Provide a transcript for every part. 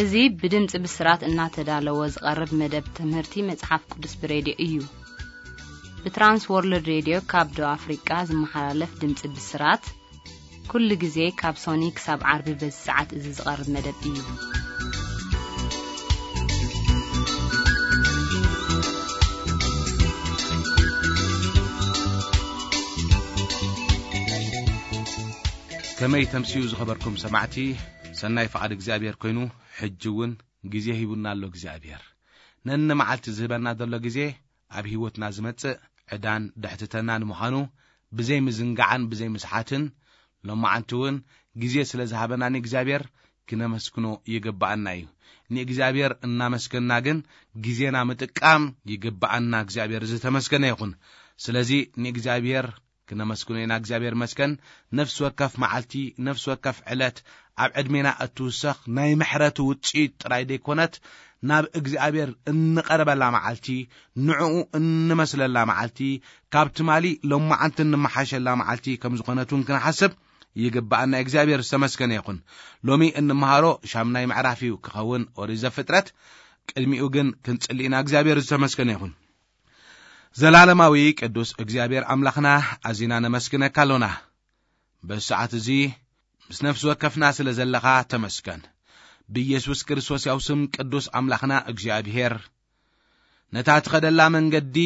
እዚ ብድምፂ ብስራት እናተዳለወ ዝቐርብ መደብ ትምህርቲ መጽሓፍ ቅዱስ ብሬድዮ እዩ። ብትራንስ ወርልድ ሬድዮ ካብ ደቡብ ኣፍሪቃ ዝመሓላለፍ ድምፂ ብስራት ኩሉ ግዜ ካብ ሶኒ ክሳብ ዓርቢ በዚ ሰዓት እዚ ዝቐርብ መደብ እዩ። ከመይ ተምስዩ ዝኸበርኩም ሰማዕቲ፣ ሰናይ ፍቓድ እግዚኣብሔር ኮይኑ ሕጂ እውን ግዜ ሂቡና ኣሎ እግዚኣብሔር። ነንመዓልቲ ዝህበና ዘሎ ግዜ ኣብ ህይወትና ዝመጽእ ዕዳን ድሕትተናን ምዃኑ ብዘይ ምዝንጋዕን ብዘይ ምስሓትን፣ ሎማዓንቲ እውን ግዜ ስለ ዝሃበና ንእግዚኣብሔር ክነመስግኖ ይግብኣና እዩ። ንእግዚኣብሔር እናመስገና ግን ግዜና ምጥቃም ይግብኣና። እግዚኣብሔር ዝተመስገነ ይኹን። ስለዚ ንእግዚኣብሔር ክነመስግኖ ኢና። እግዚኣብሔር መስገን። ነፍሲ ወከፍ መዓልቲ፣ ነፍሲ ወከፍ ዕለት ኣብ ዕድሜና እትውሰኽ ናይ ምሕረቱ ውጽኢት ጥራይ ዘይኮነት፣ ናብ እግዚኣብሔር እንቐርበላ መዓልቲ፣ ንዕኡ እንመስለላ መዓልቲ፣ ካብ ትማሊ ሎማዓንቲ እንመሓሸላ መዓልቲ ከም ዝኾነት እውን ክንሓስብ ይግብኣና። እግዚኣብሔር ዝተመስገነ ይኹን። ሎሚ እንመሃሮ ሻምናይ ምዕራፍ እዩ ክኸውን ኦሪት ዘፍጥረት። ቅድሚኡ ግን ክንጽሊ ኢና። እግዚኣብሔር ዝተመስገነ ይኹን። ዘላለማዊ ቅዱስ እግዚኣብሔር ኣምላኽና፣ ኣዚና ነመስግነካ ኣሎና። በዚ ሰዓት እዚ ምስ ነፍሲ ወከፍና ስለ ዘለኻ ተመስገን። ብኢየሱስ ክርስቶስ ያው ስም ቅዱስ ኣምላኽና እግዚኣብሔር፣ ነታ ትኸደላ መንገዲ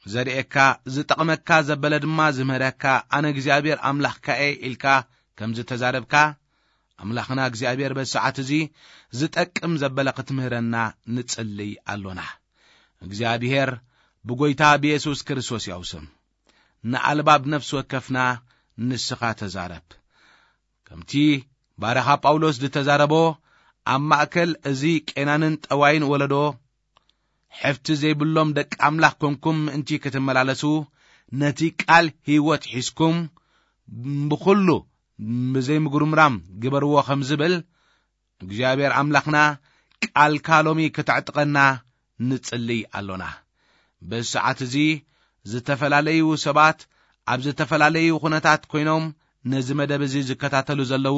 ዘርእየካ፣ ዝጠቕመካ ዘበለ ድማ ዝምህረካ፣ ኣነ እግዚኣብሔር ኣምላኽካ እየ ኢልካ ከም ዝተዛረብካ፣ ኣምላኽና እግዚኣብሔር በዚ ሰዓት እዚ ዝጠቅም ዘበለ ክትምህረና ንጽልይ ኣሎና። እግዚኣብሔር ብጎይታ ብየሱስ ክርስቶስ ያው ስም ንኣልባብ ነፍሲ ወከፍና ንስኻ ተዛረብ። ከምቲ ባርኻ ጳውሎስ ዝተዛረቦ፣ ኣብ ማእከል እዚ ቄናንን ጠዋይን ወለዶ፣ ሕፍቲ ዘይብሎም ደቂ ኣምላኽ ኮንኩም ምእንቲ ክትመላለሱ፣ ነቲ ቃል ህይወት ሒዝኩም፣ ብኹሉ ብዘይምጉርምራም ግበርዎ ከም ዝብል፣ እግዚኣብሔር ኣምላኽና ቃልካ ሎሚ ክተዕጥቀና ንጽልይ ኣሎና። በዚ ሰዓት እዚ ዝተፈላለዩ ሰባት ኣብ ዝተፈላለዩ ኩነታት ኮይኖም ነዚ መደብ እዚ ዝከታተሉ ዘለዉ፣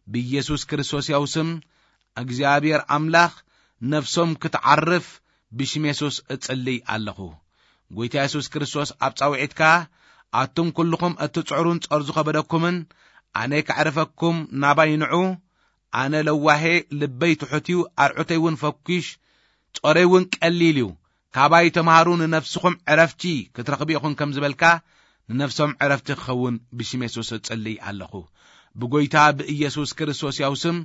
ብኢየሱስ ክርስቶስ ያው ስም እግዚኣብሔር ኣምላኽ ነፍሶም ክትዓርፍ ብሽም የሱስ እጽልይ ኣለኹ። ጎይታ የሱስ ክርስቶስ ኣብ ጻውዒትካ፣ ኣቱም ኩልኹም እትጽዕሩን ጸር ዝኸበደኩምን፣ ኣነ ከዕርፈኩም ናባይ ንዑ። ኣነ ለዋሄ፣ ልበይ ትሑት እዩ፣ ኣርዑተይ እውን ፈኲሽ፣ ጾረይ እውን ቀሊል እዩ። ካባይ ተምሃሩ፣ ንነፍስኹም ዕረፍቲ ክትረኽቡ ኢኹም ከም ዝበልካ፣ ንነፍሶም ዕረፍቲ ክኸውን ብሽም የሱስ እጽልይ ኣለኹ። ብጎይታ ብኢየሱስ ክርስቶስ ያው ስም፣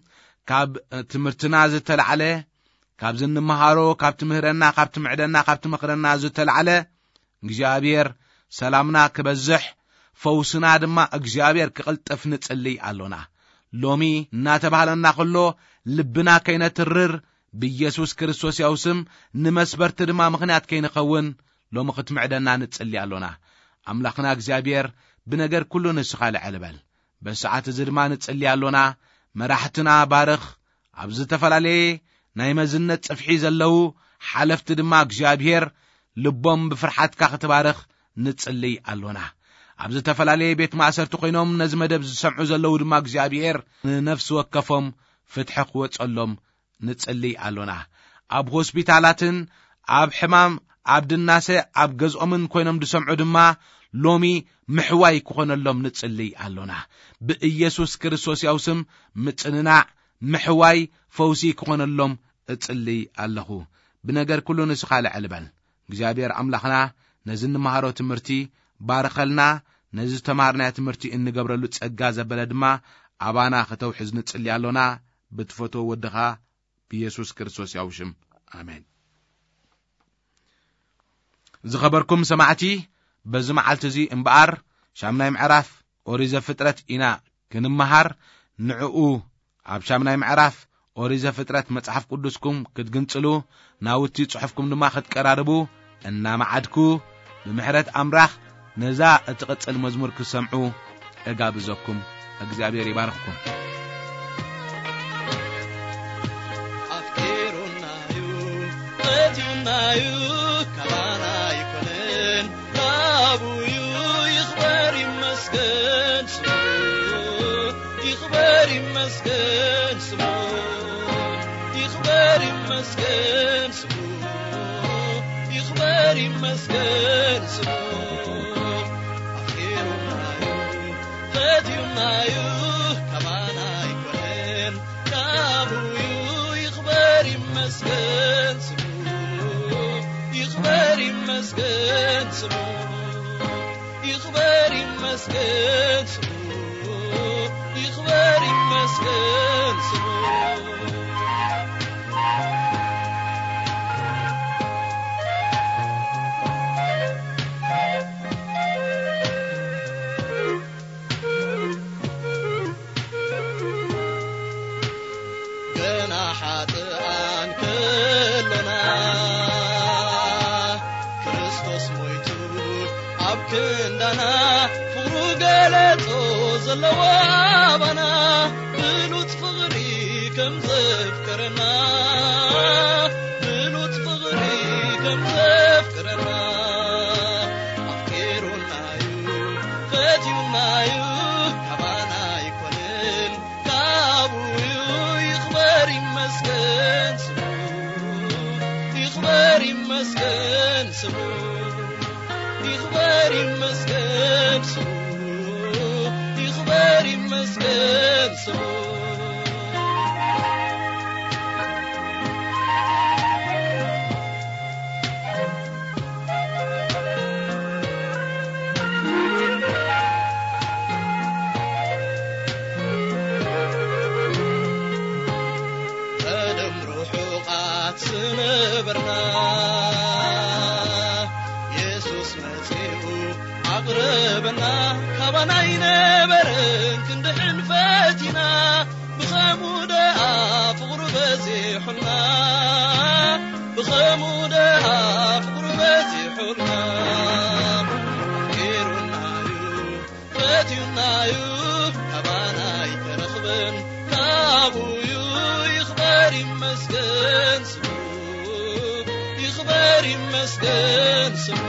ካብ ትምህርትና ዝተላዕለ፣ ካብ ዝንመሃሮ፣ ካብ ትምህረና፣ ካብ ትምዕደና፣ ካብ ትመኽረና ዝተላዕለ፣ እግዚኣብሔር ሰላምና ክበዝሕ፣ ፈውስና ድማ እግዚኣብሔር ክቕልጥፍ ንጽልይ ኣሎና። ሎሚ እናተባህለና ከሎ፣ ልብና ከይነትርር፣ ብኢየሱስ ክርስቶስ ያው ስም ንመስበርቲ ድማ ምኽንያት ከይንኸውን፣ ሎሚ ክትምዕደና ንጽሊ ኣሎና። ኣምላኽና እግዚኣብሔር፣ ብነገር ኩሉ ንስኻ ልዕል በል። በዚ ሰዓት እዚ ድማ ንጽሊ ኣሎና። መራሕትና ባርኽ። ኣብ ዝተፈላለየ ናይ መዝነት ጽፍሒ ዘለዉ ሓለፍቲ ድማ እግዚኣብሔር ልቦም ብፍርሓትካ ክትባርኽ ንጽልይ ኣሎና። ኣብ ዝተፈላለየ ቤት ማእሰርቲ ኮይኖም ነዚ መደብ ዝሰምዑ ዘለዉ ድማ እግዚኣብሔር ንነፍሲ ወከፎም ፍትሒ ክወጸሎም ንጽልይ ኣሎና። ኣብ ሆስፒታላትን ኣብ ሕማም ኣብ ድናሰ ኣብ ገዝኦምን ኮይኖም ዝሰምዑ ድማ ሎሚ ምሕዋይ ክኾነሎም ንጽልይ ኣሎና። ብኢየሱስ ክርስቶስ ያው ስም ምጽንናዕ፣ ምሕዋይ፣ ፈውሲ ክኾነሎም እጽልይ ኣለኹ። ብነገር ኩሉ ንስኻ ልዕል በል። እግዚኣብሔር ኣምላኽና ነዚ እንመሃሮ ትምህርቲ ባርኸልና። ነዚ ዝተማሃርናዮ ትምህርቲ እንገብረሉ ጸጋ ዘበለ ድማ ኣባና ከተውሕዝ ንጽሊ ኣሎና። ብትፈትዎ ወድኻ ብኢየሱስ ክርስቶስ ያው ሽም። ኣሜን። ዝኸበርኩም ሰማዕቲ፣ በዚ መዓልቲ እዚ እምበኣር ሻምናይ ምዕራፍ ኦሪት ዘፍጥረት ኢና ክንመሃር። ንዕኡ ኣብ ሻምናይ ምዕራፍ ኦሪት ዘፍጥረት መጽሓፍ ቅዱስኩም ክትግንጽሉ፣ ናውቲ ጽሑፍኩም ድማ ክትቀራርቡ እናመዓድኩ፣ ብምሕረት ኣምላኽ ነዛ እትቕጽል መዝሙር ክትሰምዑ እጋብዘኩም። እግዚኣብሔር ይባርኽኩም። ኣፍቂሩናዩ፣ ፈትዩናዩ፣ ካባና ኣይኮነን፣ ናብኡ እዩ። ይኽበር ይመስገን ስሙ፣ ይኽበር ይመስገን ስሙ፣ ይኽበር ይመስገን ስሙ፣ ይኽበር ይመስገን ስሙ። ኣፍቂሩናዩ፣ ፈትዩናዩ፣ ካባና ኣይኮነን፣ ካቡዩ። ይኽበር ይመስገን ስሙ፣ ይኽበር ይመስገን ስሙ። ይኽበር ይመስገን ስሙ፣ ይኽበር ይመስገን ስሙ። ገና ሓጥኣን ከሎና፣ ክርስቶስ ሞይቱ ኣብ ክንዳና፣ ፍቕሩ ገለጾ ዘለዎ ኣባና፣ ብሉጽ ፍቕሪ ከም ዘፍቀረና፣ ብሉጽ ፍቕሪ ከም ዘፍቀረና፣ ኣፍቂሩናዩ፣ ፈትዩናዩ፣ ካባና ኣይኮነን፣ ካቡዩ። ይኽበር ይመስገን ስሙ፣ ይኽበር ይመስገን ስሙ፣ ይኽበር ይመስገን ስሙ፣ ይኽበር ይመስገን ስሙ። ቀደም ርሑቓት ዝነበርና፣ የሱስ መጺኡ ኣቕረበና። ካባና ኣይነበረን ክንድሕን ፈቲና፣ ብኸምኡ ደኣ ፍቕሩ በዚሑልና፣ ብኸምኡ ደኣ ፍቕሩ በዚሑልና። ኣፍቂሩናዩ፣ ፈትዩናዩ፣ ካባና ኣይተረኽበን፣ ካቡዩ። ይኽበር ይመስገን ስሙ፣ ይኽበር ይመስገን ስሙ፣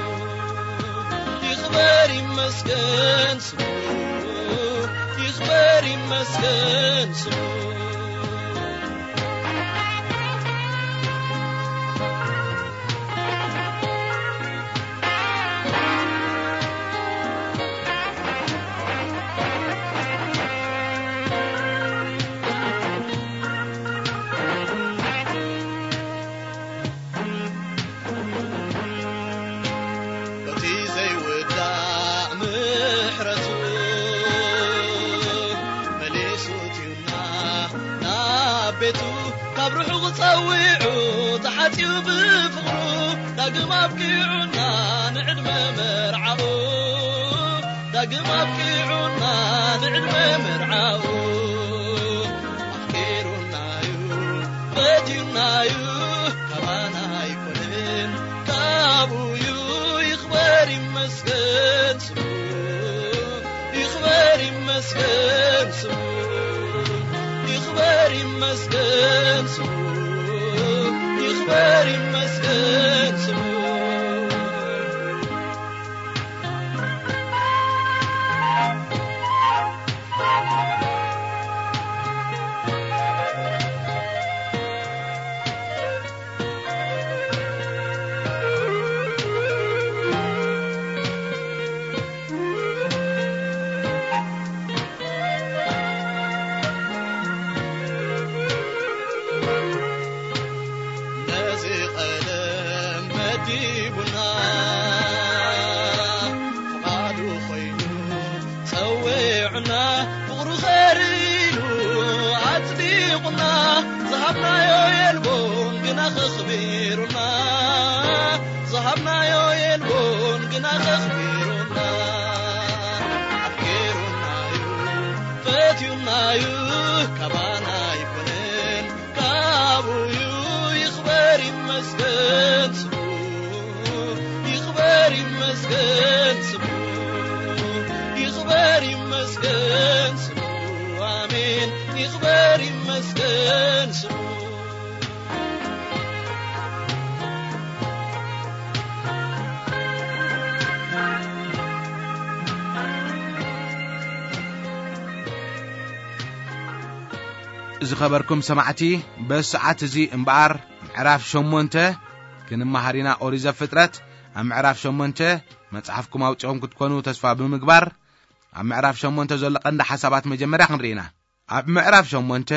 ይኽበር ይመስገን ስሙ፣ ይኽበር ይመስገን ስሙ። በቲ ዘይውዳእ ምሕረቱ መሊሱ እትዩና ናብ ቤቱ፣ ካብ ርሑቕ ጸዊዑ ተሓጽዩ ብፍቕሩ፣ ዳግም ኣብቂዑና ንዕድመ መርዓኡ፣ ዳግም ኣብቂዑና ንዕድመ መርዓኡ። ኣፍቂሩናዩ፣ ፈትዩናዩ፣ ካባና ኣይኮነን፣ ካቡዩ። ይኽበር ይመስገን ስሙ፣ ይኽበር ይመስገን ስሙ፣ ይኽበር ይመስገን ስሙ፣ ይኽበር ይመስገን ስሙ። ነዚ ቀደም መዲቡና፣ ፍቓዱ ኾይኑ ጸዊዑና፣ ፍቕሩ ኸርኢሉ ኣጽዲቑና፣ ዝሃብናዮ የልቦን ግና ኸኽቢሩና፣ ዝሃብናዮ የልቦን ግና ኸኽቢሩና። ኣፍቂሩናዩ፣ ፈትዩናዩ፣ ካባና ኣይኮነን፣ ካቡዩ። ይኽበር ይመስገን ስሙ፣ ይኽበር ይመስገን ስሙ፣ ይኽበር ይመስገን ስሙ። ኣሜን። ይኽበር ይመስገን ስሙ። ዝኸበርኩም ሰማዕቲ፣ በዚ ሰዓት እዚ እምበኣር ምዕራፍ ሸሞንተ ክንመሃር ኢና። ኦሪት ዘፍጥረት ኣብ ምዕራፍ ሸሞንተ መጽሓፍኩም ኣውጺኦም ክትኮኑ ተስፋ ብምግባር፣ ኣብ ምዕራፍ ሸሞንተ ዘሎ ቀንዲ ሓሳባት መጀመርያ ክንርኢ ኢና። ኣብ ምዕራፍ ሸሞንተ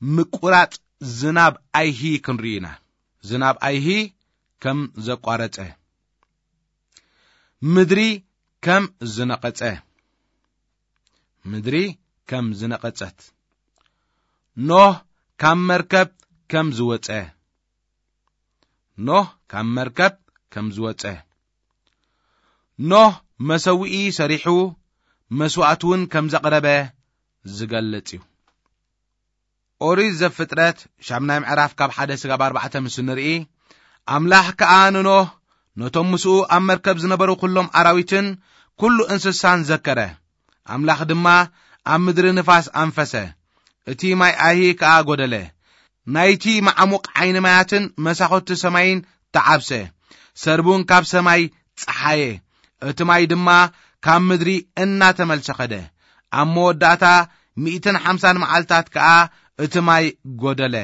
ምቁራጽ ዝናብ ኣይሂ ክንርኢ ኢና። ዝናብ ኣይሂ ከም ዘቋረጸ፣ ምድሪ ከም ዝነቐጸ፣ ምድሪ ከም ዝነቐጸት፣ ኖህ ካብ መርከብ ከም ዝወጸ፣ ኖህ ካብ መርከብ ከም ዝወጸ፣ ኖህ መሰውኢ ሰሪሑ መስዋእቲ እውን ከም ዘቕረበ ዝገልጽ እዩ። ኦሪት ዘፍጥረት ሻምናይ ምዕራፍ ካብ ሓደ ስጋብ ኣርባዕተ ምስ ንርኢ፣ ኣምላኽ ከኣ ንኖህ ነቶም ምስኡ ኣብ መርከብ ዝነበሩ ኩሎም ኣራዊትን ኩሉ እንስሳን ዘከረ። ኣምላኽ ድማ ኣብ ምድሪ ንፋስ ኣንፈሰ፣ እቲ ማይ ኣይሂ ከኣ ጐደለ። ናይቲ መዓሙቕ ዓይኒ ማያትን መሳኹቲ ሰማይን ተዓብሰ። ሰርቡን ካብ ሰማይ ጸሓየ፣ እቲ ማይ ድማ ካብ ምድሪ እናተመልሰ ኸደ። ኣብ መወዳእታ ሚእትን ሓምሳን መዓልታት ከኣ እቲ ማይ ጐደለ።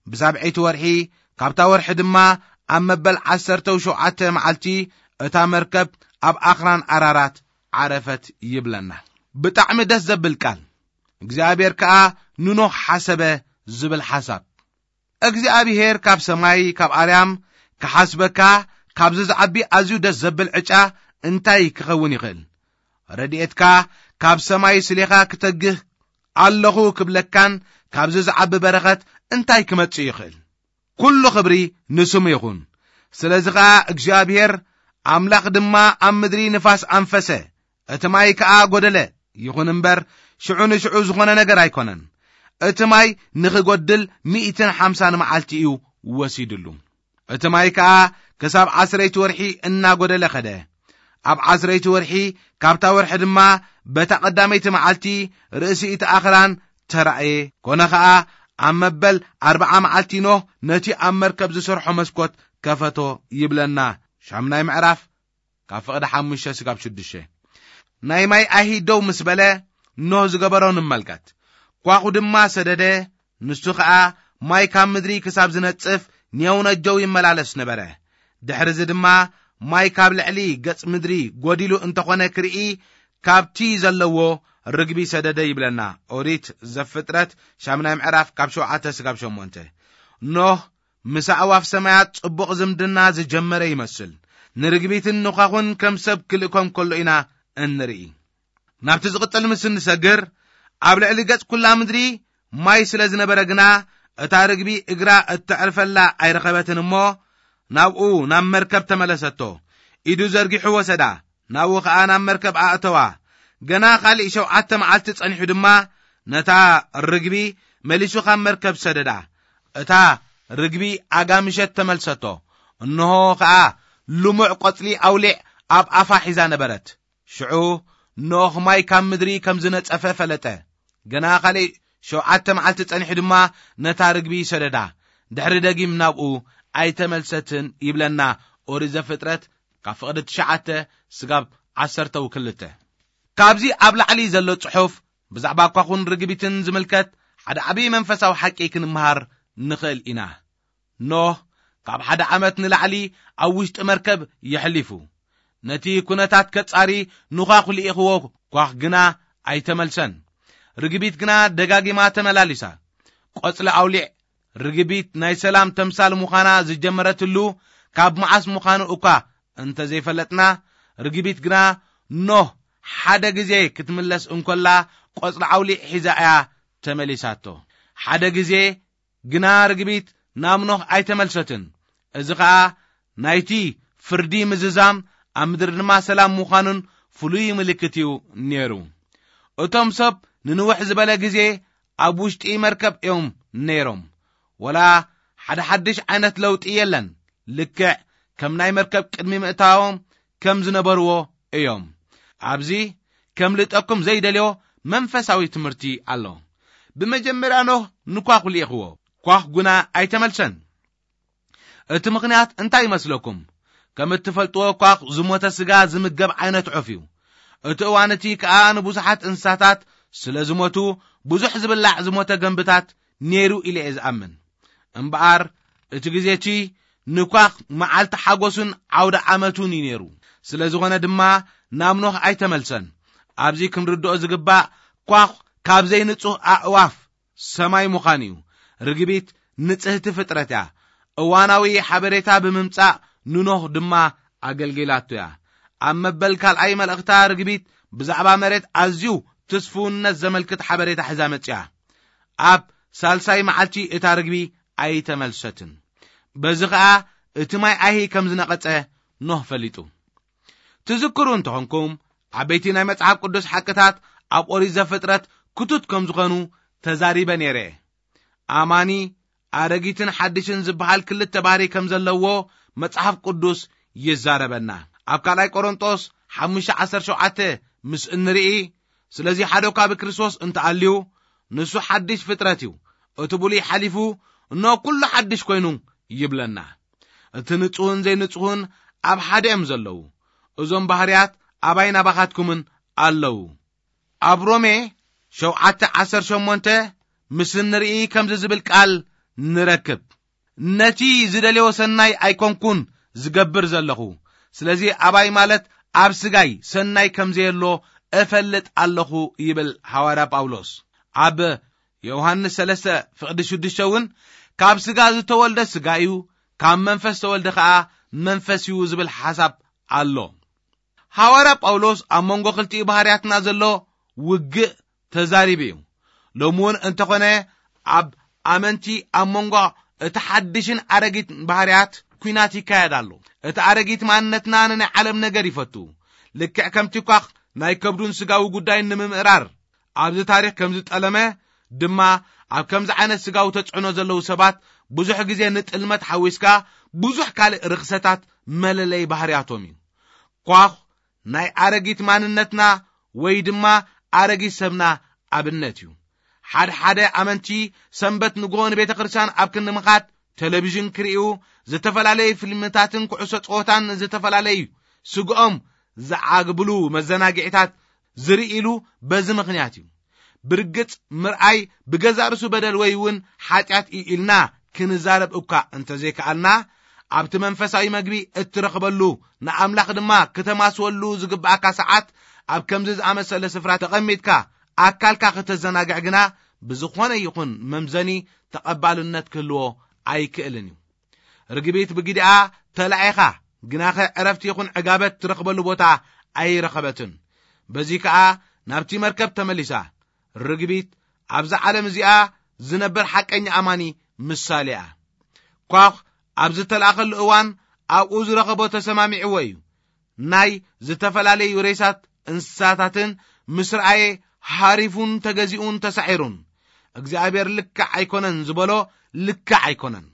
ብሳብዐይቲ ወርሒ፣ ካብታ ወርሒ ድማ ኣብ መበል ዓሰርተው ሸውዓተ መዓልቲ፣ እታ መርከብ ኣብ ኣኽራን ኣራራት ዓረፈት ይብለና። ብጣዕሚ ደስ ዘብል ቃል። እግዚኣብሔር ከኣ ንኖህ ሓሰበ ዝብል ሓሳብ። እግዚኣብሔር ካብ ሰማይ፣ ካብ ኣርያም ክሓስበካ፣ ካብዚ ዝዓቢ ኣዝዩ ደስ ዘብል ዕጫ እንታይ ክኸውን ይኽእል? ረድኤትካ ካብ ሰማይ ስሌኻ ክተግህ ኣለኹ ክብለካን ካብዚ ዝዓቢ በረኸት እንታይ ክመጽእ ይኽእል? ኩሉ ክብሪ ንስሙ ይኹን። ስለዚ ኸኣ እግዚኣብሔር ኣምላኽ ድማ ኣብ ምድሪ ንፋስ ኣንፈሰ፣ እቲ ማይ ከኣ ጐደለ። ይኹን እምበር፣ ሽዑ ንሽዑ ዝኾነ ነገር ኣይኮነን። እቲ ማይ ንኽጐድል ሚእትን ሓምሳን መዓልቲ እዩ ወሲድሉ። እቲ ማይ ከኣ ክሳብ ዓስረይቲ ወርሒ እናጐደለ ኸደ። ኣብ ዓስረይቲ ወርሒ፣ ካብታ ወርሒ ድማ በታ ቀዳመይቲ መዓልቲ ርእሲ እቲ ኣኽራን ተራእየ። ኮነ ኸኣ፣ ኣብ መበል ኣርብዓ መዓልቲ ኖህ ነቲ ኣብ መርከብ ዝሰርሖ መስኮት ከፈቶ ይብለና። ሻምናይ ምዕራፍ ካብ ፍቕዲ ሓሙሽተ ስጋብ ሽዱሽተ። ናይ ማይ ኣይሂ ደው ምስ በለ፣ ኖህ ዝገበሮ ንመልከት። ኳኹ ድማ ሰደደ፣ ንሱ ኸኣ ማይ ካብ ምድሪ ክሳብ ዝነጽፍ ኔው ነጀው ይመላለስ ነበረ። ድሕርዚ ድማ ማይ ካብ ልዕሊ ገጽ ምድሪ ጐዲሉ እንተኾነ ክርኢ፣ ካብቲ ዘለዎ ርግቢ ሰደደ ይብለና። ኦሪት ዘፍጥረት ሻምናይ ምዕራፍ ካብ ሸውዓተ ስጋብ ሸሞንተ። ኖህ ምስ ኣዕዋፍ ሰማያት ጽቡቕ ዝምድና ዝጀመረ ይመስል። ንርግቢትን ንዃኹን ከም ሰብ ክልእኮም ከሎ ኢና እንርኢ። ናብቲ ዝቕጽል ምስ እንሰግር፣ ኣብ ልዕሊ ገጽ ኩላ ምድሪ ማይ ስለ ዝነበረ ግና፣ እታ ርግቢ እግራ እተዕርፈላ ኣይረኸበትን እሞ፣ ናብኡ ናብ መርከብ ተመለሰቶ። ኢዱ ዘርጊሑ ወሰዳ፣ ናብኡ ኸኣ ናብ መርከብ ኣእተዋ። ገና ካልእ ሸውዓተ መዓልቲ ጸኒሑ ድማ ነታ ርግቢ መሊሱ ካብ መርከብ ሰደዳ። እታ ርግቢ ኣጋምሸት ተመልሰቶ። እንሆ ኸኣ ልሙዕ ቆጽሊ ኣውሊዕ ኣብ ኣፋ ሒዛ ነበረት። ሽዑ ኖህ ማይ ካብ ምድሪ ከም ዝነጸፈ ፈለጠ። ገና ካልእ ሸውዓተ መዓልቲ ጸኒሑ ድማ ነታ ርግቢ ሰደዳ። ድሕሪ ደጊም ናብኡ ኣይተመልሰትን ይብለና ኦሪት ዘፍጥረት ካብ ፍቕዲ ትሽዓተ ስጋብ ዓሰርተ ክልተ። ካብዚ ኣብ ላዕሊ ዘሎ ጽሑፍ ብዛዕባ ኳኹን ርግቢትን ዝምልከት ሓደ ዓቢ መንፈሳዊ ሓቂ ክንምሃር ንኽእል ኢና። ኖህ ካብ ሓደ ዓመት ንላዕሊ ኣብ ውሽጢ መርከብ የሕሊፉ። ነቲ ኩነታት ከጻሪ ንኳኹ ልኢኽዎ፣ ኳኽ ግና ኣይተመልሰን። ርግቢት ግና ደጋጊማ ተመላሊሳ። ቆጽሊ ኣውሊዕ ርግቢት ናይ ሰላም ተምሳል ምዃና ዝጀመረትሉ ካብ መዓስ ምዃኑ እኳ እንተ ዘይፈለጥና፣ ርግቢት ግና ኖህ ሓደ ግዜ ክትምለስ እንኮላ ቆጽሊ ኣውሊዕ ሒዛ እያ ተመሊሳቶ። ሓደ ግዜ ግና ርግቢት ናብ ኖህ ኣይተመልሰትን። እዚ ኸኣ ናይቲ ፍርዲ ምዝዛም ኣብ ምድሪ ድማ ሰላም ምዃኑን ፍሉይ ምልክት እዩ ነይሩ። እቶም ሰብ ንንውሕ ዝበለ ግዜ ኣብ ውሽጢ መርከብ እዮም ነይሮም። ወላ ሓደ ሓድሽ ዓይነት ለውጢ የለን። ልክዕ ከም ናይ መርከብ ቅድሚ ምእታዎም ከም ዝነበርዎ እዮም። ኣብዚ ከም ልጠኩም ዘይደልዮ መንፈሳዊ ትምህርቲ ኣሎ። ብመጀመርያ ኖህ ንኳኹ ልኢኽዎ፣ ኳኽ ጉና ኣይተመልሰን። እቲ ምኽንያት እንታይ ይመስለኩም? ከም እትፈልጥዎ፣ ኳኽ ዝሞተ ስጋ ዝምገብ ዓይነት ዑፍ እዩ። እቲ እዋን እቲ ከኣ ንብዙሓት እንስሳታት ስለ ዝሞቱ፣ ብዙሕ ዝብላዕ ዝሞተ ገንብታት ነይሩ ኢለ እየ ዝኣምን። እምበኣር፣ እቲ ግዜ እቲ ንኳኽ መዓልቲ ሓጎሱን ዓውደ ዓመቱን እዩ ነይሩ። ስለ ዝኾነ ድማ ናብ ኖህ ኣይተመልሰን። ኣብዚ ክንርድኦ ዝግባእ ኳኽ ካብ ዘይንጹህ ኣእዋፍ ሰማይ ምዃን እዩ። ርግቢት ንጽህቲ ፍጥረት እያ። እዋናዊ ሓበሬታ ብምምጻእ ንኖህ ድማ ኣገልጊላቶ እያ። ኣብ መበል ካልኣይ መልእኽታ ርግቢት ብዛዕባ መሬት ኣዝዩ ትስፍውነት ዘመልክት ሓበሬታ ሒዛ መጽያ። ኣብ ሳልሳይ መዓልቲ እታ ርግቢ ኣይተመልሰትን። በዚ ኸኣ እቲ ማይ ኣይሂ ከም ዝነቐጸ ኖህ ፈሊጡ። ትዝክሩ እንተኾንኩም፣ ዓበይቲ ናይ መጽሓፍ ቅዱስ ሓቅታት ኣብ ኦሪት ዘፍጥረት ክቱት ከም ዝኾኑ ተዛሪበ ነይረ። ኣማኒ ኣረጊትን ሓድሽን ዝበሃል ክልተ ባህሪ ከም ዘለዎ መጽሓፍ ቅዱስ ይዛረበና። ኣብ ካልኣይ ቆሮንጦስ ሓሙሽተ ዓሰርተ ሸውዓተ ምስ እንርኢ፣ ስለዚ ሓደ እኳ ብክርስቶስ እንተኣልዩ፣ ንሱ ሓድሽ ፍጥረት እዩ፣ እቲ ብሉይ ሓሊፉ፣ እነሆ ኩሉ ሓድሽ ኮይኑ ይብለና። እቲ ንጹህን ዘይንጹህን ኣብ ሓደ እዮም ዘለዉ። እዞም ባህርያት ኣባይን ኣባኻትኩምን ኣለዉ። ኣብ ሮሜ ሸውዓተ ዓሰርተ ሸሞንተ ምስ እንርኢ ከምዚ ዝብል ቃል ንረክብ፣ "ነቲ ዝደልዮ ሰናይ ኣይኮንኩን ዝገብር ዘለኹ፣ ስለዚ ኣባይ ማለት ኣብ ስጋይ ሰናይ ከም ዘየሎ እፈልጥ ኣለኹ" ይብል ሃዋርያ ጳውሎስ። ኣብ ዮሃንስ ሰለስተ ፍቕዲ ሽዱሽተ እውን፣ "ካብ ስጋ ዝተወልደ ስጋ እዩ፣ ካብ መንፈስ ዝተወልደ ኸኣ መንፈስ እዩ" ዝብል ሓሳብ ኣሎ። ሃዋርያ ጳውሎስ ኣብ መንጎ ክልቲኡ ባህርያትና ዘሎ ውግእ ተዛሪቡ እዩ። ሎሚ እውን እንተኾነ ኣብ ኣመንቲ ኣብ መንጎ እቲ ሓድሽን ኣረጊት ባህርያት ኲናት ይካየድ ኣሎ። እቲ ኣረጊት ማንነትና ንናይ ዓለም ነገር ይፈቱ። ልክዕ ከምቲ ኳኽ ናይ ከብዱን ስጋዊ ጉዳይን ንምምእራር ኣብዚ ታሪኽ ከም ዝጠለመ ድማ፣ ኣብ ከምዚ ዓይነት ስጋዊ ተጽዕኖ ዘለዉ ሰባት ብዙሕ ግዜ ንጥልመት ሓዊስካ ብዙሕ ካልእ ርኽሰታት መለለይ ባህርያቶም እዩ። ኳኽ ናይ ኣረጊት ማንነትና ወይ ድማ ኣረጊት ሰብና ኣብነት እዩ። ሓደ ሓደ ኣመንቲ ሰንበት ንግሆ ንቤተ ክርስቲያን ኣብ ክንዲ ምኻድ፣ ቴሌቪዥን ክርእዩ፣ ዝተፈላለዩ ፊልምታትን ኩዕሶ ጸወታን ዝተፈላለዩ ስግኦም ዝዓግብሉ መዘናግዒታት ዝርእሉ በዚ ምኽንያት እዩ። ብርግጽ ምርኣይ ብገዛእ ርእሱ በደል ወይ እውን ሓጢኣት እዩ ኢልና ክንዛረብ እኳ እንተዘይከኣልና፣ ኣብቲ መንፈሳዊ መግቢ እትረኽበሉ ንኣምላኽ ድማ ክተማስወሉ ዝግብኣካ ሰዓት ኣብ ከምዚ ዝኣመሰለ ስፍራ ተቐሚጥካ ኣካልካ ክተዘናግዕ ግና ብዝኾነ ይኹን መምዘኒ ተቐባልነት ክህልዎ ኣይክእልን እዩ። ርግቢት ብግዲኣ ተላኢኻ፣ ግናኸ ዕረፍቲ ይኹን ዕጋበት ትረኽበሉ ቦታ ኣይረኸበትን። በዚ ከኣ ናብቲ መርከብ ተመሊሳ። ርግቢት ኣብዛ ዓለም እዚኣ ዝነበር ሓቀኛ ኣማኒ ምሳሌ እያ። ኳኽ ኣብ ዝተላእኸሉ እዋን ኣብኡ ዝረኸቦ ተሰማሚዕዎ እዩ። ናይ ዝተፈላለዩ ሬሳት እንስሳታትን ምስ ረኣየ፣ ሃሪፉን ተገዚኡን ተሳዒሩን። እግዚኣብሔር ልክዕ ኣይኮነን ዝበሎ ልክዕ ኣይኮነን።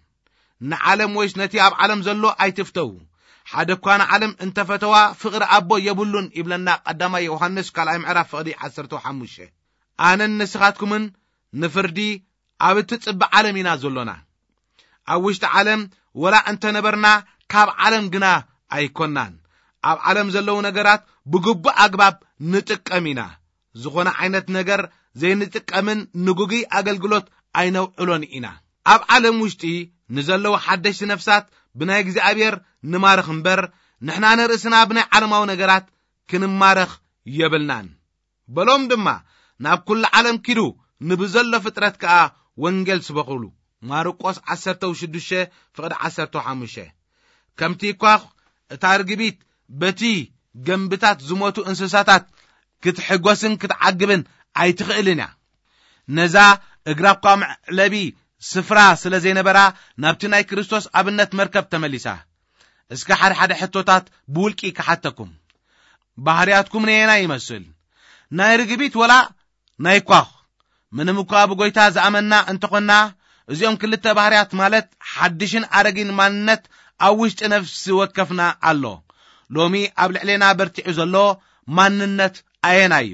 ንዓለም ወይስ ነቲ ኣብ ዓለም ዘሎ ኣይትፍተዉ። ሓደ እኳ ንዓለም እንተፈተዋ፣ ፍቕሪ ኣቦ የብሉን ይብለና ቀዳማይ ዮሃንስ ካልኣይ ምዕራፍ ፍቕዲ ዓሰርተ ሓሙሽተ። ኣነን ንስኻትኩምን ንፍርዲ ኣብ እትጽበ ዓለም ኢና ዘሎና። ኣብ ውሽጢ ዓለም ወላ እንተነበርና፣ ካብ ዓለም ግና ኣይኮናን። ኣብ ዓለም ዘለዉ ነገራት ብግቡእ ኣግባብ ንጥቀም ኢና። ዝኾነ ዓይነት ነገር ዘይንጥቀምን ንጉግይ ኣገልግሎት ኣይነውዕሎን ኢና። ኣብ ዓለም ውሽጢ ንዘለዉ ሓደሽቲ ነፍሳት ብናይ እግዚኣብሔር ንማርኽ እምበር፣ ንሕና ንርእስና ብናይ ዓለማዊ ነገራት ክንማረኽ የብልናን። በሎም ድማ፣ "ናብ ኩሉ ዓለም ኪዱ፣ ንብዘሎ ፍጥረት ከኣ ወንጌል ስበኹሉ።" ማርቆስ ዓሰርተ ሽዱሽተ ፍቕዲ ዓሰርተ ሓሙሽተ። ከምቲ ኳኽ እታ ርግቢት በቲ ገምብታት ዝሞቱ እንስሳታት ክትሕጎስን ክትዓግብን ኣይትኽእልን እያ። ነዛ እግራ እኳ መዕለቢ ስፍራ ስለ ዘይነበራ፣ ናብቲ ናይ ክርስቶስ ኣብነት መርከብ ተመሊሳ። እስከ ሓደ ሓደ ሕቶታት ብውልቂ ክሓተኩም። ባህርያትኩም ነየናይ ይመስል? ናይ ርግቢት ወላ ናይ ኳኽ? ምንም እኳ ብጎይታ ዝኣመንና እንተኾንና፣ እዚኦም ክልተ ባህርያት ማለት ሓድሽን ኣረጊን ማንነት ኣብ ውሽጢ ነፍሲ ወከፍና ኣሎ። ሎሚ ኣብ ልዕሌና በርቲዑ ዘሎ ማንነት ኣየናይ እዩ?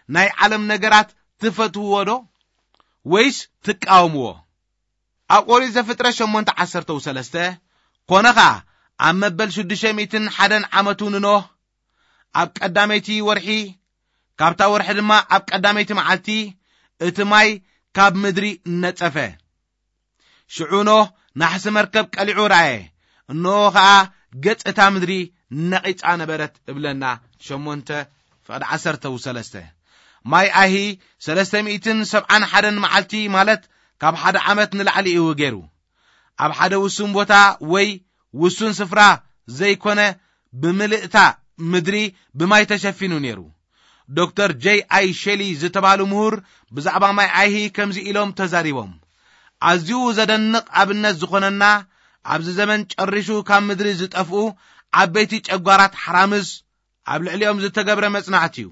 ናይ ዓለም ነገራት ትፈትውዎ ዶ ወይስ ትቃወምዎ? ኣብ ኦሪት ዘፍጥረት ሸሞንተ ዓሰርተ ሰለስተ፣ ኮነ ኸኣ ኣብ መበል ሽዱሽተ ሚእትን ሓደን ዓመቱ ንኖህ፣ ኣብ ቀዳመይቲ ወርሒ፣ ካብታ ወርሒ ድማ ኣብ ቀዳመይቲ መዓልቲ፣ እቲ ማይ ካብ ምድሪ ነጸፈ። ሽዑ ኖህ ናሕሲ መርከብ ቀሊዑ ረኣየ፣ እንሆ ኸኣ ገጽ እታ ምድሪ ነቒጻ ነበረት እብለና። ሸሞንተ ፍቕዲ ዓሰርተ ሰለስተ። ማይ ኣይሂ ሰለስተ ሚእትን ሰብዓን ሓደን መዓልቲ፣ ማለት ካብ ሓደ ዓመት ንላዕሊ እዩ ገይሩ። ኣብ ሓደ ውሱን ቦታ ወይ ውሱን ስፍራ ዘይኮነ፣ ብምልእታ ምድሪ ብማይ ተሸፊኑ ነይሩ። ዶክተር ጄይ ኣይ ሼሊ ዝተባሉ ምሁር ብዛዕባ ማይ ኣይሂ ከምዚ ኢሎም ተዛሪቦም። ኣዝዩ ዘደንቕ ኣብነት ዝኾነና፣ ኣብዚ ዘመን ጨሪሹ ካብ ምድሪ ዝጠፍኡ ዓበይቲ ጨጓራት ሓራምዝ ኣብ ልዕሊኦም ዝተገብረ መጽናዕቲ እዩ።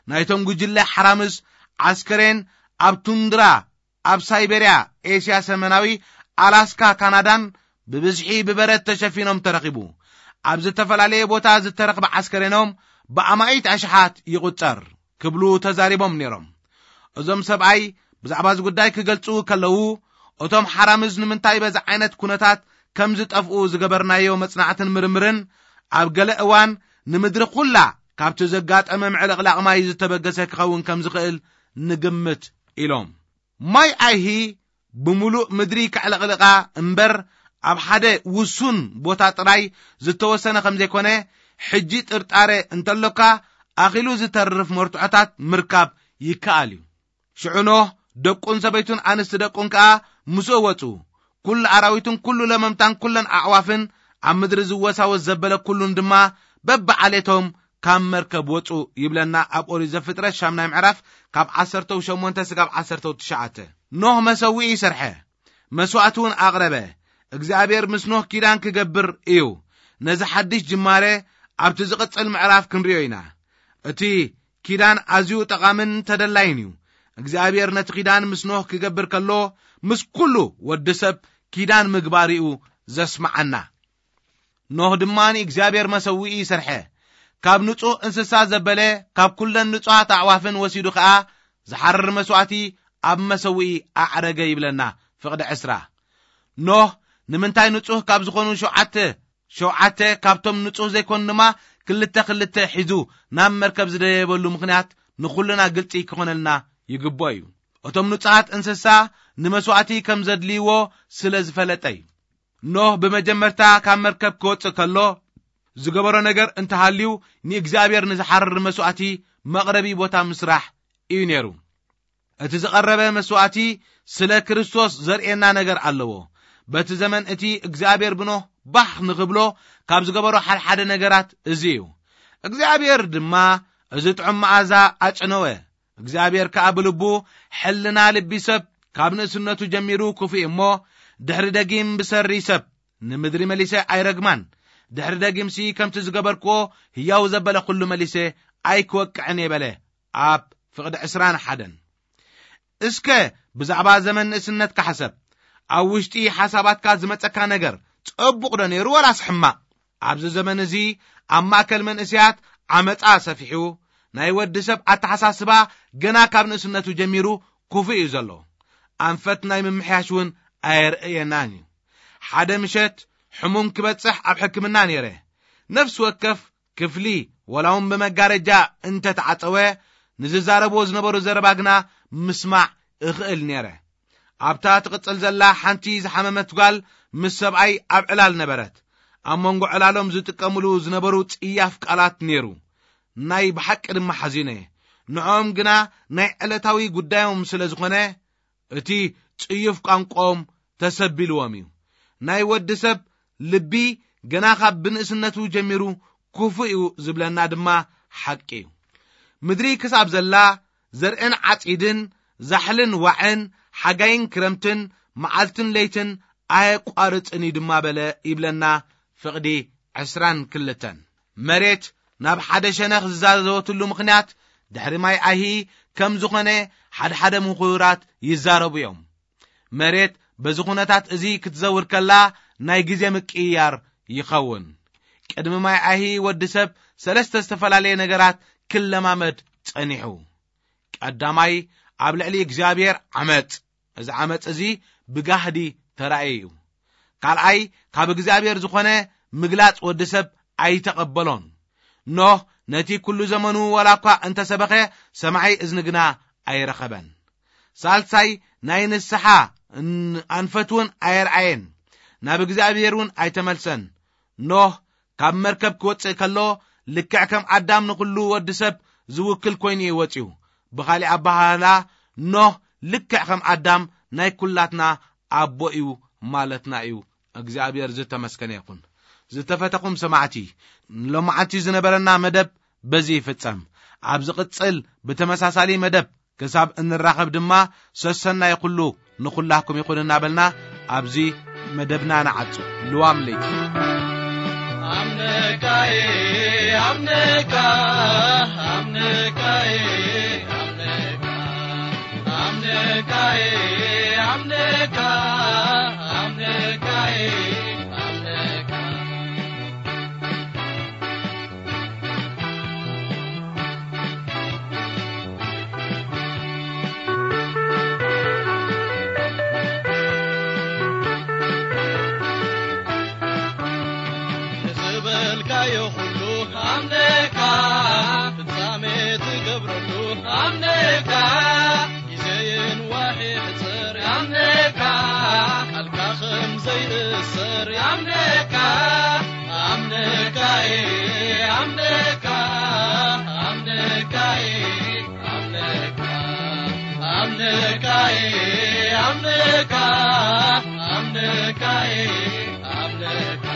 ናይቶም ጉጅለ ሓራምዝ ዓስከሬን ኣብ ቱንድራ ኣብ ሳይቤርያ፣ ኤስያ ሰሜናዊ፣ ኣላስካ፣ ካናዳን ብብዝሒ ብበረድ ተሸፊኖም ተረኺቡ። ኣብ ዝተፈላለየ ቦታ ዝተረኽበ ዓስከሬኖም ብኣማኢት ኣሽሓት ይቑጸር ክብሉ ተዛሪቦም ነይሮም። እዞም ሰብኣይ ብዛዕባ እዚ ጉዳይ ክገልጹ ከለዉ፣ እቶም ሓራምዝ ንምንታይ በዚ ዓይነት ኩነታት ከም ዝጠፍኡ ዝገበርናዮ መጽናዕትን ምርምርን፣ ኣብ ገለ እዋን ንምድሪ ኩላ ካብቲ ዘጋጠመ ምዕልቕላቕ ማይ ዝተበገሰ ክኸውን ከም ዝኽእል ንግምት ኢሎም። ማይ ኣይሂ ብምሉእ ምድሪ ከዕለቕልቓ እምበር፣ ኣብ ሓደ ውሱን ቦታ ጥራይ ዝተወሰነ ከም ዘይኮነ፣ ሕጂ ጥርጣረ እንተሎካ፣ ኣኺሉ ዝተርፍ መርትዖታት ምርካብ ይከኣል እዩ። ሽዑ ኖህ፣ ደቁን ሰበይቱን ኣንስቲ ደቁን ከኣ ምስኡ ወጹ። ኩሉ ኣራዊትን ኩሉ ለመምታን ኩለን ኣዕዋፍን ኣብ ምድሪ ዝወሳወስ ዘበለ ኩሉን ድማ በብዓሌቶም ካብ መርከብ ወጹ ይብለና ኣብ ኦሪት ዘፍጥረት ሻምናይ ምዕራፍ ካብ ዓሰርተ ሸሞንተ ስጋብ ዓሰርተ ትሽዓተ። ኖህ መሰውኢ ይሰርሐ፣ መስዋእቲ እውን ኣቕረበ። እግዚኣብሔር ምስ ኖህ ኪዳን ክገብር እዩ። ነዚ ሓድሽ ጅማሬ ኣብቲ ዝቕጽል ምዕራፍ ክንርእዮ ኢና። እቲ ኪዳን ኣዝዩ ጠቓምን ተደላይን እዩ። እግዚኣብሔር ነቲ ኪዳን ምስ ኖህ ክገብር ከሎ፣ ምስ ኩሉ ወዲ ሰብ ኪዳን ምግባር እዩ ዘስምዓና። ኖህ ድማ ንእግዚኣብሔር መሰውኢ ይሰርሐ። ካብ ንጹህ እንስሳ ዘበለ፣ ካብ ኩለን ንጹሃት ኣዕዋፍን ወሲዱ ኸኣ ዝሓርር መስዋእቲ ኣብ መሰውኢ ኣዕረገ ይብለና ፍቕዲ ዕስራ። ኖህ ንምንታይ ንጹህ ካብ ዝኾኑ ሸውዓተ፣ ሸውዓተ ካብቶም ንጹህ ዘይኮኑ ድማ ክልተ ክልተ ሒዙ ናብ መርከብ ዝደየበሉ ምኽንያት ንኹልና ግልጺ ክኾነልና ይግብኦ እዩ። እቶም ንጹሃት እንስሳ ንመስዋእቲ ከም ዘድልይዎ ስለ ዝፈለጠ እዩ። ኖህ ብመጀመርታ ካብ መርከብ ክወጽእ ከሎ ዝገበሮ ነገር እንተሃልዩ፣ ንእግዚኣብሔር ንዝሓርር መስዋእቲ መቕረቢ ቦታ ምስራሕ እዩ ነይሩ። እቲ ዝቐረበ መስዋእቲ ስለ ክርስቶስ ዘርእየና ነገር ኣለዎ። በቲ ዘመን እቲ እግዚኣብሔር ብኖህ ባህ ንኽብሎ ካብ ዝገበሮ ሓድሓደ ነገራት እዚ እዩ። እግዚኣብሔር ድማ እዚ ጥዑም መኣዛ ኣጨነወ። እግዚኣብሔር ከኣ ብልቡ፣ ሕልና ልቢ ሰብ ካብ ንእስነቱ ጀሚሩ ክፉእ እሞ፣ ድሕሪ ደጊም ብሰሪ ሰብ ንምድሪ መሊሰ ኣይረግማን፣ ድሕሪ ደጊምሲ ከምቲ ዝገበርክዎ ህያው ዘበለ ኩሉ መሊሰ ኣይክወቅዕን እየ በለ። ኣብ ፍቕዲ ዕስራን ሓደን። እስከ ብዛዕባ ዘመን ንእስነትካ ሕሰብ። ኣብ ውሽጢ ሓሳባትካ ዝመጸካ ነገር ጸቡቕ ዶ ነይሩ ወላስ ሕማቕ? ኣብዚ ዘመን እዚ ኣብ ማእከል መንእሰያት ዓመጻ ሰፊሑ፣ ናይ ወዲ ሰብ ኣተሓሳስባ ገና ካብ ንእስነቱ ጀሚሩ ክፉእ እዩ ዘሎ። ኣንፈት ናይ ምምሕያሽ እውን ኣየርእየናን እዩ። ሓደ ምሸት ሕሙም ክበጽሕ ኣብ ሕክምና ነይረ። ነፍሲ ወከፍ ክፍሊ ወላ እውን ብመጋረጃ እንተተዓጸወ፣ ንዝዛረብዎ ዝነበሩ ዘረባ ግና ምስማዕ እኽእል ነይረ። ኣብታ ትቕጽል ዘላ ሓንቲ ዝሓመመት ጓል ምስ ሰብኣይ ኣብ ዕላል ነበረት። ኣብ መንጎ ዕላሎም ዝጥቀምሉ ዝነበሩ ጽያፍ ቃላት ነይሩ። ናይ ብሓቂ ድማ ሓዚነ። ንዕኦም ግና ናይ ዕለታዊ ጉዳዮም ስለ ዝኾነ፣ እቲ ጽዩፍ ቋንቋኦም ተሰቢልዎም እዩ። ናይ ወዲ ሰብ ልቢ ገና ካብ ብንእስነቱ ጀሚሩ ክፉእ እዩ ዝብለና ድማ ሓቂ እዩ። ምድሪ ክሳብ ዘላ፣ ዘርእን ዓጺድን፣ ዛሕልን ዋዕን፣ ሓጋይን ክረምትን፣ መዓልትን ለይትን ኣየቋርጽን እዩ ድማ በለ ይብለና ፍቕዲ ዕስራን ክልተን። መሬት ናብ ሓደ ሸነኽ ዝዛዘወትሉ ምኽንያት ድሕሪ ማይ ኣይሂ ከም ዝኾነ ሓድሓደ ምሁራት ይዛረቡ እዮም። መሬት በዚ ኩነታት እዚ ክትዘውር ከላ ናይ ግዜ ምቅይያር ይኸውን። ቅድሚ ማይ ኣይሂ ወዲ ሰብ ሰለስተ ዝተፈላለየ ነገራት ክለማመድ ጸኒሑ። ቀዳማይ፣ ኣብ ልዕሊ እግዚኣብሔር ዓመጽ። እዚ ዓመጽ እዚ ብጋህዲ ተራእየ እዩ። ካልኣይ፣ ካብ እግዚኣብሔር ዝኾነ ምግላጽ ወዲ ሰብ ኣይተቐበሎን። ኖህ ነቲ ኩሉ ዘመኑ ዋላ እኳ እንተሰበኸ፣ ሰማዒ እዝኒ ግና ኣይረኸበን። ሳልሳይ፣ ናይ ንስሓ ን-፣ ኣንፈት እውን ኣየርኣየን። ናብ እግዚኣብሔር እውን ኣይተመልሰን። ኖህ ካብ መርከብ ክወጽእ ከሎ፣ ልክዕ ከም ኣዳም ንኹሉ ወዲ ሰብ ዝውክል ኮይኑ እዩ ወጺኡ። ብኻሊእ ኣበሃህላ፣ ኖህ ልክዕ ከም ኣዳም ናይ ኩላትና ኣቦ እዩ ማለትና እዩ። እግዚኣብሔር ዝተመስገነ ይኹን። ዝተፈተኹም ሰማዕቲ፣ ንሎማዓንቲ ዝነበረና መደብ በዚ ይፍጸም። ኣብ ዝቕጽል ብተመሳሳሊ መደብ ክሳብ እንራኸብ ድማ፣ ሰሰናይ ኩሉ ንኹላኩም ይኹን እናበልና፣ ኣብዚ መደብና ንዓጹ። ልዋም ለይቲ። ኣምነካይ፣ ኣምነካ፣ ኣምነካይ፣ ኣምነካ፣ ኣምነካይ፣ ኣምነካ፣ ኣምነካይ፣ ኣምነካ። ዝበልካዮ ኩሉ ኣምነካ፣ ፍጻሜ ትገብረሉ ኣምነካ፣ ግዜን ዋሒ ሕጽር ኣምነካ፣ ቃልካ ከም ዘይእሰር ኣምነካ፣ ኣምነካ፣ ኣምነካ፣ ኣምነካ፣ ኣምነካ፣ ኣምነካ፣ ኣምነካ፣ ኣምነካ፣ ኣምነካ።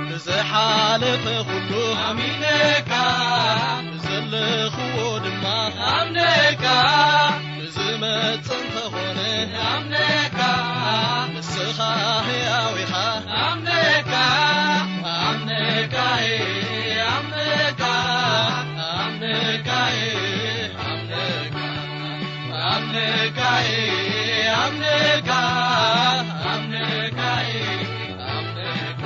ብዝሓለፈ ኩሉ ኣሚነካ፣ ብዘለኽዎ ድማ ኣምነካ፣ ብዝመጽእ እንተኾነ ኣምነካ፣ ንስኻ ሕያው ኢኻ ኣምነካ፣ ኣምነካ፣ ኣምነካ፣ ኣምነካ፣ ኣምነካ፣ ኣምነካ፣ ኣምነካ፣ ኣምነካ፣ ኣምነካ።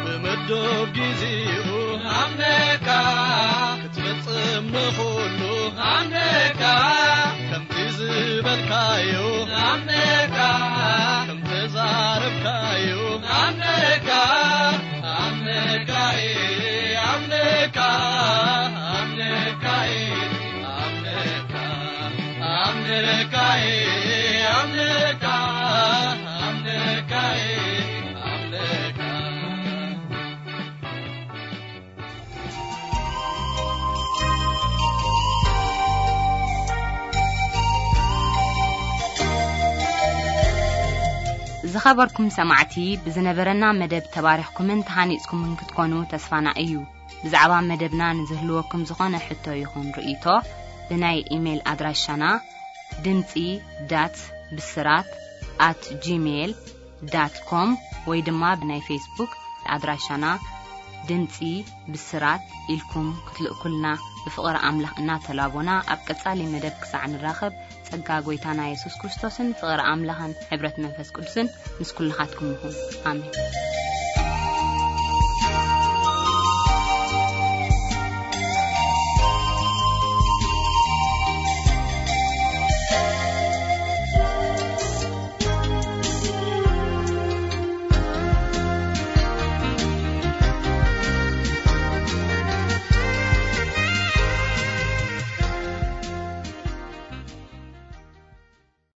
ብምዱብ ጊዜኡ ኣምነካ፣ ክትፍጽም ንኹሉ ኣምነካ፣ ከምቲ ዝበልካዮ ኣምነካ፣ ከምቲ ዛረብካዮ ኣምነካ፣ ኣምነካ፣ ኣምነካ፣ ኣምነካ፣ ኣምነካ፣ ኣምነካ፣ ኣምነካ፣ ኣምነካ፣ ኣምነካ። ዝኸበርኩም ሰማዕቲ፣ ብዝነበረና መደብ ተባሪኽኩምን ተሃኒጽኩምን ክትኮኑ ተስፋና እዩ። ብዛዕባ መደብና ንዝህልወኩም ዝኾነ ሕቶ ይኹን ርእይቶ፣ ብናይ ኢሜይል ኣድራሻና ድምጺ ዳት ብስራት ኣት ጂሜይል ዳት ኮም ወይ ድማ ብናይ ፌስቡክ ኣድራሻና ድምጺ ብስራት ኢልኩም ክትልእኩልና ብፍቕሪ ኣምላኽ እናተላቦና፣ ኣብ ቀጻሊ መደብ ክሳዕ ንራኸብ፣ ጸጋ ጐይታና የሱስ ክርስቶስን ፍቕሪ ኣምላኽን ሕብረት መንፈስ ቅዱስን ምስ ኩልኻትኩም ይኹን። ኣሜን።